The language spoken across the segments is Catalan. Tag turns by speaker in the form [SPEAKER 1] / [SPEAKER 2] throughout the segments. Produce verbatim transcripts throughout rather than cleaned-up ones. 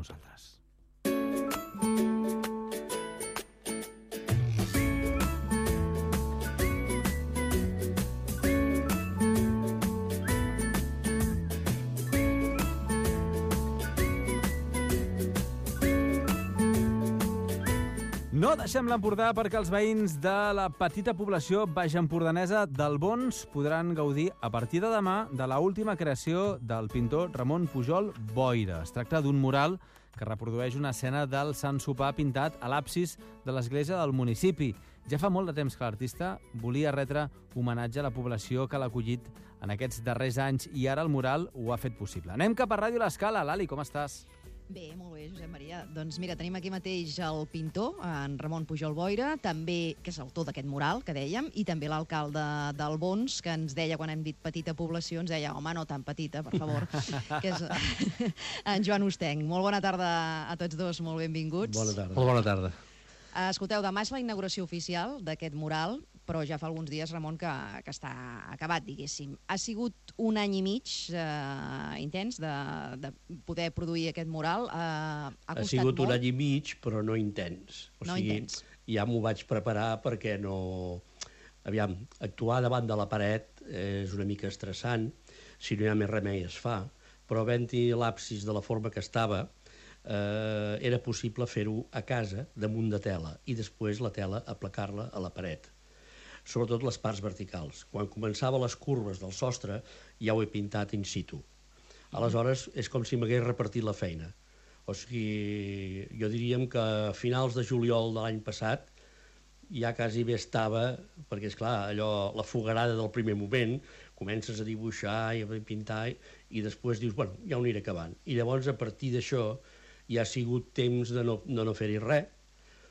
[SPEAKER 1] nosaltres. No deixem l'Empordà perquè els veïns de la petita població baixempordanesa d'Albons podran gaudir a partir de demà de la última creació del pintor Ramon Pujol Boira. Es tracta d'un mural que reprodueix una escena del Sant Sopar pintat a l'absis de l'església del municipi. Ja fa molt de temps que l'artista volia retre homenatge a la població que l'ha acollit en aquests darrers anys i ara el mural ho ha fet possible. Anem cap a Ràdio L'Escala. Lali, com estàs?
[SPEAKER 2] Bé, molt bé, Josep Maria. Doncs mira, tenim aquí mateix el pintor, en Ramon Pujol Boira, també, que és l'autor d'aquest mural, que dèiem, i també l'alcalde d'Albons, que ens deia, quan hem dit petita població, ens deia, home, no tan petita, per favor, que és en Joan Ostenc. Molt bona tarda a tots dos, molt benvinguts.
[SPEAKER 3] Bona tarda.
[SPEAKER 4] Molt bona tarda.
[SPEAKER 2] Escolteu, demà és la inauguració oficial d'aquest mural, però ja fa alguns dies, Ramon, que, que està acabat, diguéssim. Ha sigut un any i mig eh, intens de, de poder produir aquest mural. Eh, ha,
[SPEAKER 3] ha sigut molt? Un any i mig, però no intens. O
[SPEAKER 2] no
[SPEAKER 3] sigui,
[SPEAKER 2] intens.
[SPEAKER 3] Ja m'ho vaig preparar perquè no... Aviam, actuar davant de la paret és una mica estressant, si no hi ha més remei es fa, però havent-hi l'absis de la forma que estava, eh, era possible fer-ho a casa, damunt de tela, i després la tela aplacar-la a la paret. Sobretot les parts verticals. Quan començava les curves del sostre, ja ho he pintat in situ. Aleshores, és com si m'hagués repartit la feina. O sigui, jo diríem que a finals de juliol de l'any passat ja quasi bé estava, perquè, és clar, allò, la fogarada del primer moment, comences a dibuixar i a pintar, i després dius, bueno, ja ho aniré acabant. I llavors, a partir d'això, ja ha sigut temps de no, de no fer-hi res,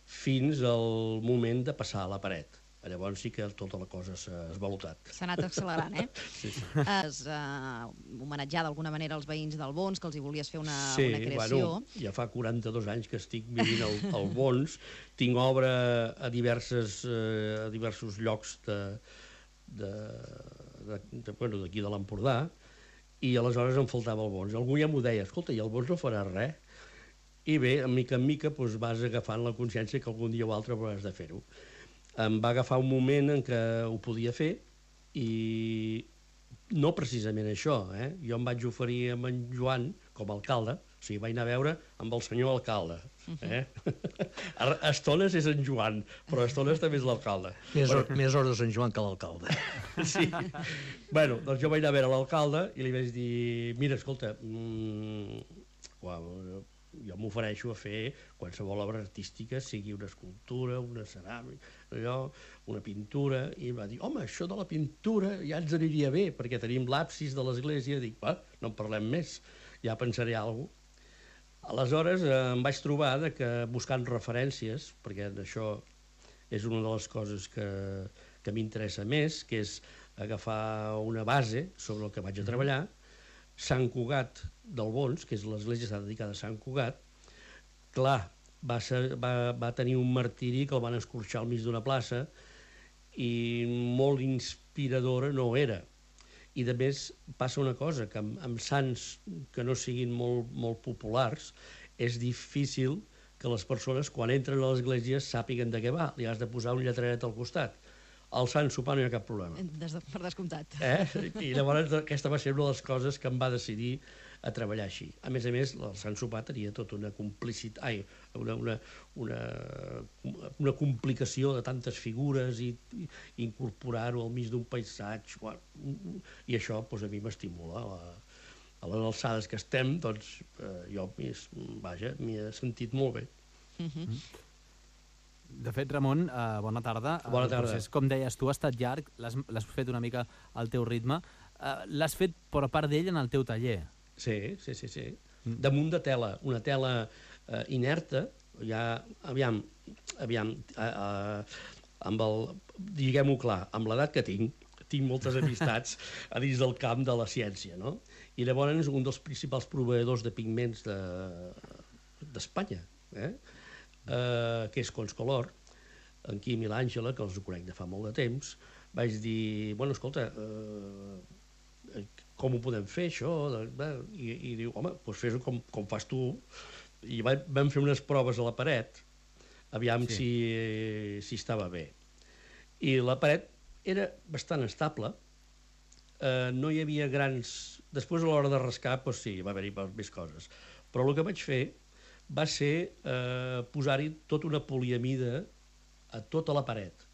[SPEAKER 3] fins al moment de passar a la paret. Llavors sí que tota la cosa s'ha esvalotat.
[SPEAKER 2] S'ha anat accelerant, eh?
[SPEAKER 3] Sí, sí.
[SPEAKER 2] Has uh, homenatjat d'alguna manera els veïns del Bons, que els hi volies fer una,
[SPEAKER 3] sí,
[SPEAKER 2] una creació.
[SPEAKER 3] Bueno, ja fa quaranta-dos anys que estic vivint al, al Bons. Tinc obra a, diverses, uh, a diversos llocs de, de, de, de, bueno, d'aquí de l'Empordà, i aleshores em faltava el Bons. Algú ja m'ho deia, escolta, i el Bons no farà res? I bé, a mica en mica doncs, vas agafant la consciència que algun dia o altre hauràs de fer-ho. Em va agafar un moment en què ho podia fer i no precisament això, eh? Jo em vaig oferir amb en Joan com a alcalde, o sigui, vaig anar a veure amb el senyor alcalde. Eh? A estones és en Joan, però a estones també és l'alcalde.
[SPEAKER 4] Més, bueno, or, més hores en Joan que l'alcalde.
[SPEAKER 3] Sí. Bueno, doncs jo vaig anar a veure l'alcalde i li vaig dir, mira, escolta, mmm, uau, jo m'ofereixo a fer qualsevol obra artística, sigui una escultura, una ceràmica, allò, una pintura, i em va dir, home, això de la pintura ja ens aniria bé, perquè tenim l'absis de l'església. Dic, va, no en parlem més, ja pensaré alguna cosa. Aleshores eh, em vaig trobar de que buscant referències, perquè això és una de les coses que, que m'interessa més, que és agafar una base sobre el que vaig a treballar. Sant Cugat del Bons, que és l'església està dedicada a Sant Cugat, clar, va, ser, va, va tenir un martiri que el van escorxar al mig d'una plaça i molt inspiradora no era. I de més passa una cosa, que amb, amb sants que no siguin molt, molt populars és difícil que les persones quan entren a l'església sàpiguen de què va, li has de posar un lletreret al costat. Al Sant Sopar no hi ha cap problema.
[SPEAKER 2] Des de, per descomptat.
[SPEAKER 3] Eh? I llavors aquesta va ser una de les coses que em va decidir a treballar així. A més a més, el Sant Sopar tenia tota una complicitat, ai, una, una, una, una complicació de tantes figures i, i incorporar-ho al mig d'un paisatge. I això doncs, a mi m'estimula. A, a les alçades que estem, doncs, eh, jo vaja, m'hi he sentit molt bé.
[SPEAKER 2] Uh-huh.
[SPEAKER 1] Mm. De fet, Ramon, eh, bona tarda.
[SPEAKER 3] Bona tarda.
[SPEAKER 1] El procés, com deies tu, ha estat llarg, l'has fet una mica al teu ritme. Eh, l'has fet per part d'ell en el teu taller.
[SPEAKER 3] Sí, sí, sí, sí. Mm. Damunt de tela, una tela eh, inerta, ja, aviam, aviam, eh, eh, amb el, diguem-ho clar, amb l'edat que tinc, tinc moltes amistats a dins del camp de la ciència, no? I llavors un dels principals proveïdors de pigments d'Espanya, de, eh? Uh, que és Conscolor, en Quim i l'Àngela, que els ho conec de fa molt de temps, vaig dir, bueno, escolta, uh, com ho podem fer, això? I, i diu, home, doncs fes-ho com, com fas tu, i vam fer unes proves a la paret, aviam
[SPEAKER 1] Sí.
[SPEAKER 3] si, si estava bé. I la paret era bastant estable, eh, no hi havia grans... Després, a l'hora de rascar, doncs sí, va haver-hi més coses. Però el que vaig fer va ser eh, posar-hi tota una poliamida a tota la paret,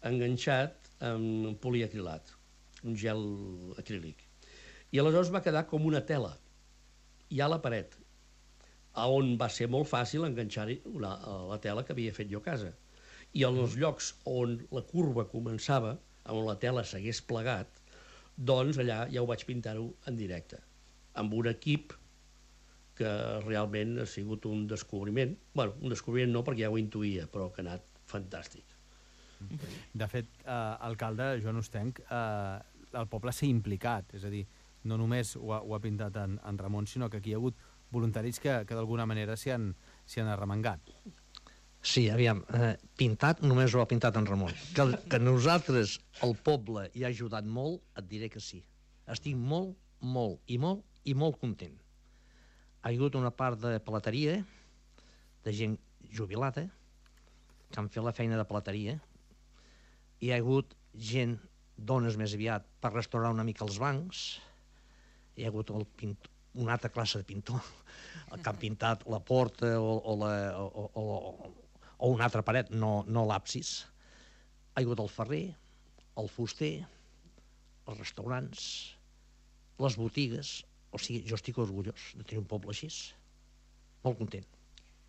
[SPEAKER 3] enganxat amb poliacrilat, un gel acrílic. I aleshores va quedar com una tela, ja a la paret, a on va ser molt fàcil enganxar-hi una- la tela que havia fet jo a casa. I en els llocs on la curva començava, on la tela s'hagués plegat, doncs allà ja ho vaig pintar-ho en directe, amb un equip que realment ha sigut un descobriment. Bueno, un descobriment no, perquè ja ho intuïa, però que ha anat fantàstic.
[SPEAKER 1] De fet, eh, alcalde Joan Ostenc, eh, el poble s'ha implicat, és a dir, no només ho ha, ho ha pintat en, en Ramon, sinó que aquí hi ha hagut voluntaris que, que d'alguna manera s'hi han, s'hi han arremangat.
[SPEAKER 4] Sí, aviam, eh, pintat només ho ha pintat en Ramon. Que, que nosaltres, el poble, hi ha ajudat molt, et diré que sí. Estic molt, molt i molt i molt content. Ha hagut una part de pelateria, de gent jubilada, que han fet la feina de pelateria. Hi ha hagut gent, dones més aviat, per restaurar una mica els bancs. Hi ha hagut el pintor, una altra classe de pintor, el que han pintat la porta o, o, la, o, o, o una altra paret, no, no l'absis. Ha hagut el ferrer, el fuster, els restaurants, les botigues. O sigui, jo estic orgullós de tenir un poble així. Molt content.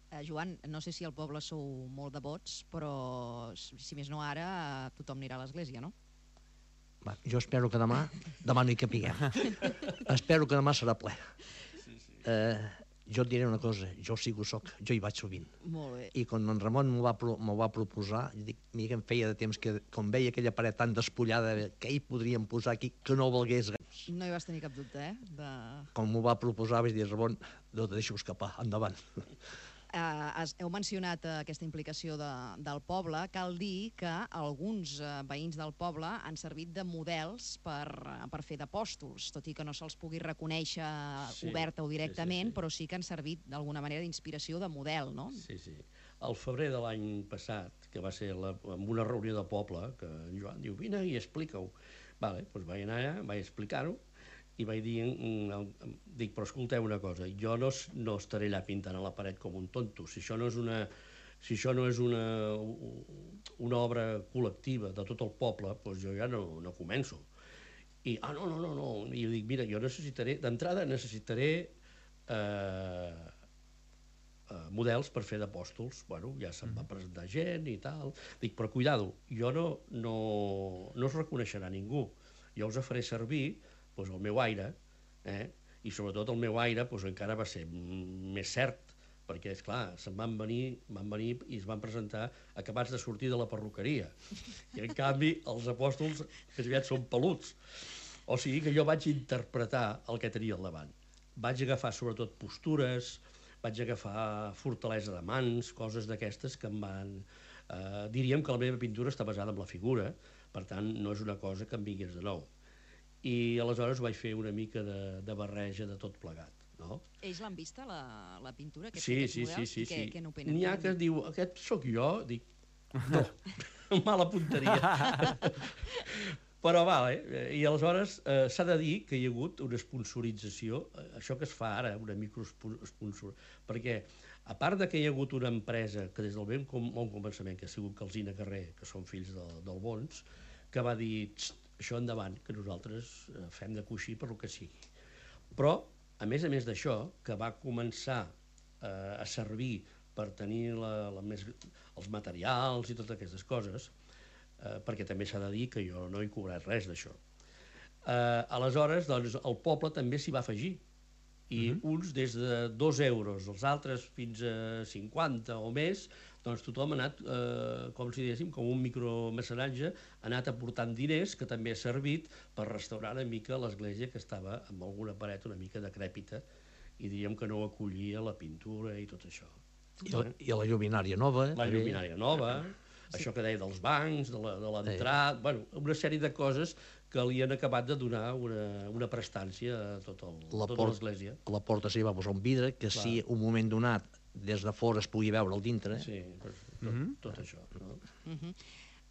[SPEAKER 2] Eh, Joan, no sé si al poble sou molt devots, però si més no ara, tothom anirà a l'església, no?
[SPEAKER 4] Va, jo espero que demà, demà no hi capiguem. Espero que demà serà ple. Eh, jo et diré una cosa, jo sí que ho soc, jo hi vaig sovint.
[SPEAKER 2] Molt bé.
[SPEAKER 4] I quan en Ramon m'ho va, pro- m'ho va proposar, jo dic, mira que em feia de temps que, com veia aquella paret tan despullada, què hi podríem posar aquí que no valgués res.
[SPEAKER 2] No hi vas tenir cap dubte, eh? De...
[SPEAKER 4] Com m'ho va proposar vaig dir, Ramon, no te deixo escapar, endavant.
[SPEAKER 2] Eh, has, heu mencionat eh, aquesta implicació de, del poble. Cal dir que alguns eh, veïns del poble han servit de models per, eh, per fer d'apòstols, tot i que no se'ls pugui reconèixer
[SPEAKER 3] Sí,
[SPEAKER 2] oberta o directament,
[SPEAKER 3] sí, sí, sí.
[SPEAKER 2] però sí que han servit d'alguna manera d'inspiració de model, no?
[SPEAKER 3] Sí, sí. Al febrer de l'any passat, que va ser la, en una reunió de poble, que en Joan diu, vine i explica-ho. Vale, doncs vaig anar allà, vaig explicar-ho, i vaig dir, mm, dic, però escolteu una cosa, jo no, es- no estaré allà pintant a la paret com un tonto, si això no és una, si això no és una, una obra col·lectiva de tot el poble, doncs jo ja no, no començo. I, ah, no, no, no, no, i jo dic, mira, jo necessitaré, d'entrada necessitaré eh, eh, models per fer d'apòstols. Bueno, ja se'm va presentar gent i tal. Dic, però cuidado, jo no, no, no us reconeixerà ningú. Jo us faré servir doncs, el meu aire, eh? I sobretot el meu aire doncs, encara va ser mm, més cert, perquè, esclar, se'n van venir, van venir i es van presentar acabats de sortir de la perruqueria. I, en canvi, els apòstols més aviat són peluts. O sigui que jo vaig interpretar el que tenia al davant. Vaig agafar, sobretot, postures, vaig agafar fortalesa de mans, coses d'aquestes que em van... Eh, diríem que la meva pintura està basada en la figura, per tant, no és una cosa que em vingués de nou. I aleshores vaig fer una mica de, de barreja de tot plegat, no?
[SPEAKER 2] Ells l'han vista, la, la pintura, aquests,
[SPEAKER 3] Sí,
[SPEAKER 2] aquests
[SPEAKER 3] sí, sí,
[SPEAKER 2] models?
[SPEAKER 3] sí,
[SPEAKER 2] I què,
[SPEAKER 3] sí.
[SPEAKER 2] què n'opinen?
[SPEAKER 3] N'hi ha que es diu, aquest sóc jo, dic, no, mala punteria. Però vale, i aleshores eh, s'ha de dir que hi ha hagut una sponsorització, eh, això que es fa ara, una microsponsor, perquè a part de que hi ha hagut una empresa que des del ben com, bon començament, que ha sigut Calsina Carrer, que són fills del, del Bons, que va dir, això endavant, que nosaltres eh, fem de coixí per lo que sigui. Però, a més a més d'això, que va començar eh, a servir per tenir la, la més, els materials i totes aquestes coses, eh, perquè també s'ha de dir que jo no he cobrat res d'això. Eh, aleshores, doncs, el poble també s'hi va afegir, i uh-huh. uns des de dos euros, els altres fins a cinquanta o més, doncs tothom ha anat, eh, com si diguéssim, com un micromecenatge, ha anat aportant diners que també ha servit per restaurar una mica l'església que estava amb alguna paret una mica decrèpita i diríem que no acollia la pintura i tot això.
[SPEAKER 4] I la, i la lluminària nova.
[SPEAKER 3] La lluminària nova, Sí. Això que deia dels bancs, de l'entrada... Sí. Bueno, una sèrie de coses que li han acabat de donar una, una prestància a tot el,
[SPEAKER 4] la
[SPEAKER 3] tota l'església.
[SPEAKER 4] La porta s'hi va posar un vidre que Clar. Si un moment donat des de fora es pugui veure al dintre...
[SPEAKER 3] Sí, tot, mm -hmm. tot això. No?
[SPEAKER 2] Mm -hmm.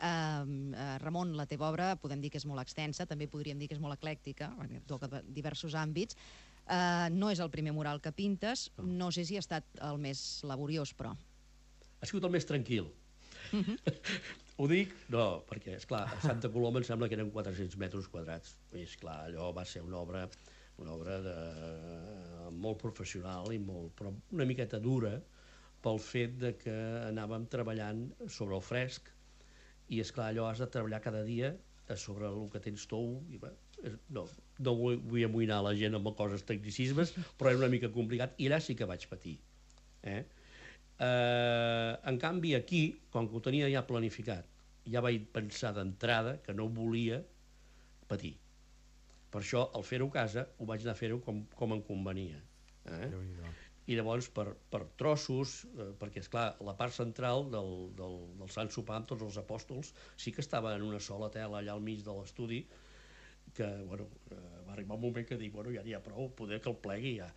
[SPEAKER 2] uh, Ramon, la teva obra podem dir que és molt extensa, també podríem dir que és molt eclèctica, toca diversos àmbits. Uh, no és el primer mural que pintes, no. no sé si ha estat el més laboriós, però...
[SPEAKER 3] Ha sigut el més tranquil. Mm-hmm. Ho dic? No, perquè, esclar, a Santa Coloma em sembla que eren quatre-cents metres quadrats. I, esclar, allò va ser una obra, una obra de, molt professional i molt, però una miqueta dura pel fet de que anàvem treballant sobre el fresc i, esclar, allò has de treballar cada dia sobre el que tens tou i, bé, no, no vull, vull amoïnar la gent amb coses tecnicismes, però era una mica complicat i allà sí que vaig patir. Eh? Uh, en canvi aquí, com que ho tenia ja planificat, ja vaig pensar d'entrada que no volia patir. Per això, al fer-ho a casa, ho vaig anar a fer-ho com, com em convenia. Eh? I llavors, per, per trossos, eh, perquè, esclar, la part central del, del, del Sant Sopar amb tots els apòstols sí que estava en una sola tela allà al mig de l'estudi, que, bueno, eh, va arribar un moment que dic, bueno, ja n'hi ha prou, poder que el plegui ja.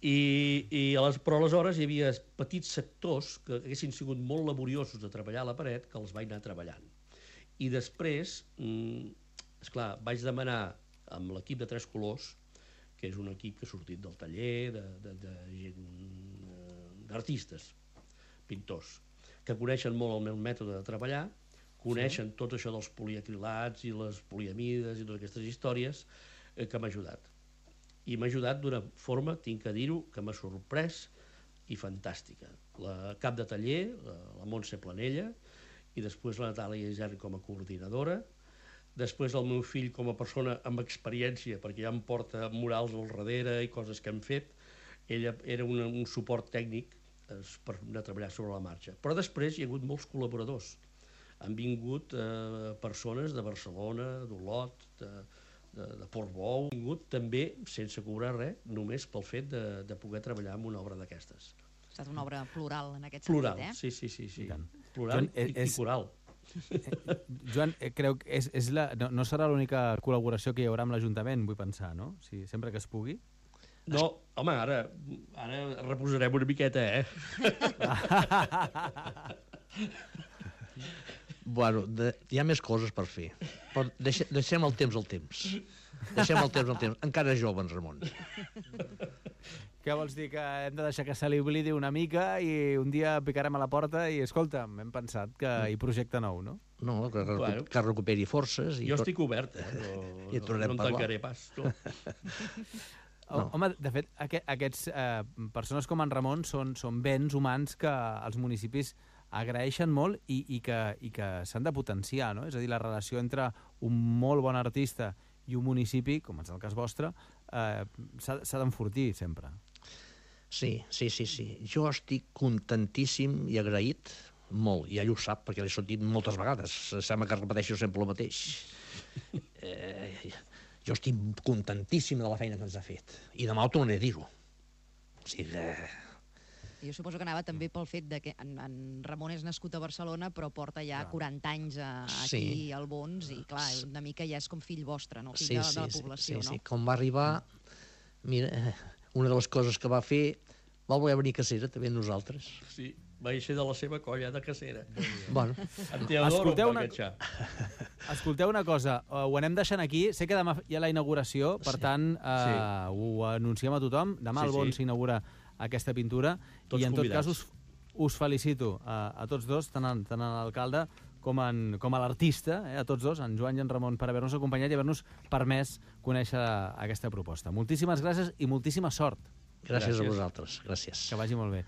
[SPEAKER 3] I, i a les, però aleshores hi havia petits sectors que haguessin sigut molt laboriosos de treballar a la paret, que els vaig anar treballant. I després, mm, esclar, vaig demanar amb l'equip de Tres Colors, que és un equip que ha sortit del taller de, de, de gent, d'artistes, pintors, que coneixen molt el meu mètode de treballar, coneixen sí. tot això dels poliacrilats i les poliamides i totes aquestes històries, eh, que m'ha ajudat. I m'ha ajudat d'una forma, tinc que dir-ho, que m'ha sorprès i fantàstica. La cap de taller, la, la Montse Planella, i després la Natàlia Isern com a coordinadora, després el meu fill com a persona amb experiència, perquè ja em porta murals al darrere i coses que hem fet. Ella era una, un suport tècnic eh, per anar a treballar sobre la marxa. Però després hi ha hagut molts col·laboradors. Han vingut eh, persones de Barcelona, d'Olot, de, de, de Portbou, han vingut també sense cobrar res, només pel fet de, de poder treballar en una obra d'aquestes.
[SPEAKER 2] Ha estat una obra plural en aquest
[SPEAKER 3] plural,
[SPEAKER 2] sentit, eh?
[SPEAKER 3] Sí, sí, sí, sí. Plural i, i coral.
[SPEAKER 1] Eh, Joan, eh, creu que és, és la, no, no serà l'única col·laboració que hi haurà amb l'Ajuntament, vull pensar, no? Si, sempre que es pugui.
[SPEAKER 3] No, home, ara, ara reposarem una miqueta, eh?
[SPEAKER 4] Bueno, de, hi ha més coses per fer, però deixe, deixem el temps al temps. Deixem el temps al temps. Encara és jove, en Ramon.
[SPEAKER 1] Què vols dir? Que hem de deixar que se li oblidi una mica i un dia picarem a la porta i, escolta, hem pensat que hi projecte nou, no?
[SPEAKER 4] No, que, bueno, que recuperi forces. I
[SPEAKER 3] jo
[SPEAKER 4] tot...
[SPEAKER 3] estic obert, eh? No,
[SPEAKER 4] I
[SPEAKER 3] no, no em tancaré pas. No.
[SPEAKER 1] No. Home, de fet, aqu aquests eh, persones com en Ramon són, són béns humans que els municipis agraeixen molt i, i que, i que s'han de potenciar, no? És a dir, la relació entre un molt bon artista i un municipi, com és el cas vostre, eh, s'ha d'enfortir sempre.
[SPEAKER 4] Sí, sí, sí, sí. Jo estic contentíssim i agraït, molt, i ell ho sap, perquè l'he sentit moltes vegades. Sembla que repeteixo sempre el mateix. Eh, jo estic contentíssim de la feina que ens ha fet. I demà ho tornaré a dir-ho. O sigui que...
[SPEAKER 2] Jo suposo que anava també pel fet de que en, en Ramon és nascut a Barcelona, però porta ja clar. quaranta anys a, aquí sí. al Bons, i clar, una mica ja és com fill vostre, no? Fill sí, de, sí, de la població,
[SPEAKER 4] sí,
[SPEAKER 2] no?
[SPEAKER 4] Sí, com va arribar... Mira, una de les coses que va fer... Va voler venir a Cacera, també nosaltres.
[SPEAKER 3] Sí, va ser de la seva colla de Cacera.
[SPEAKER 4] Bueno.
[SPEAKER 3] En Teodoro
[SPEAKER 1] escolteu,
[SPEAKER 3] una...
[SPEAKER 1] escolteu una cosa, uh, ho anem deixant aquí. Sé que demà hi ha la inauguració, per sí. tant, uh, sí. ho anunciem a tothom. Demà sí, al Bons s'inaugura sí. aquesta pintura. Tots i en convidats. Tot cas us, us felicito a, a tots dos, tant, en, tant en l'alcalde com, en, com a l'artista, eh, a tots dos, en Joan i en Ramon, per haver-nos acompanyat i haver-nos permès conèixer aquesta proposta. Moltíssimes gràcies i moltíssima sort.
[SPEAKER 4] Gràcies, gràcies a vosaltres. Gràcies.
[SPEAKER 1] Que vagi molt bé.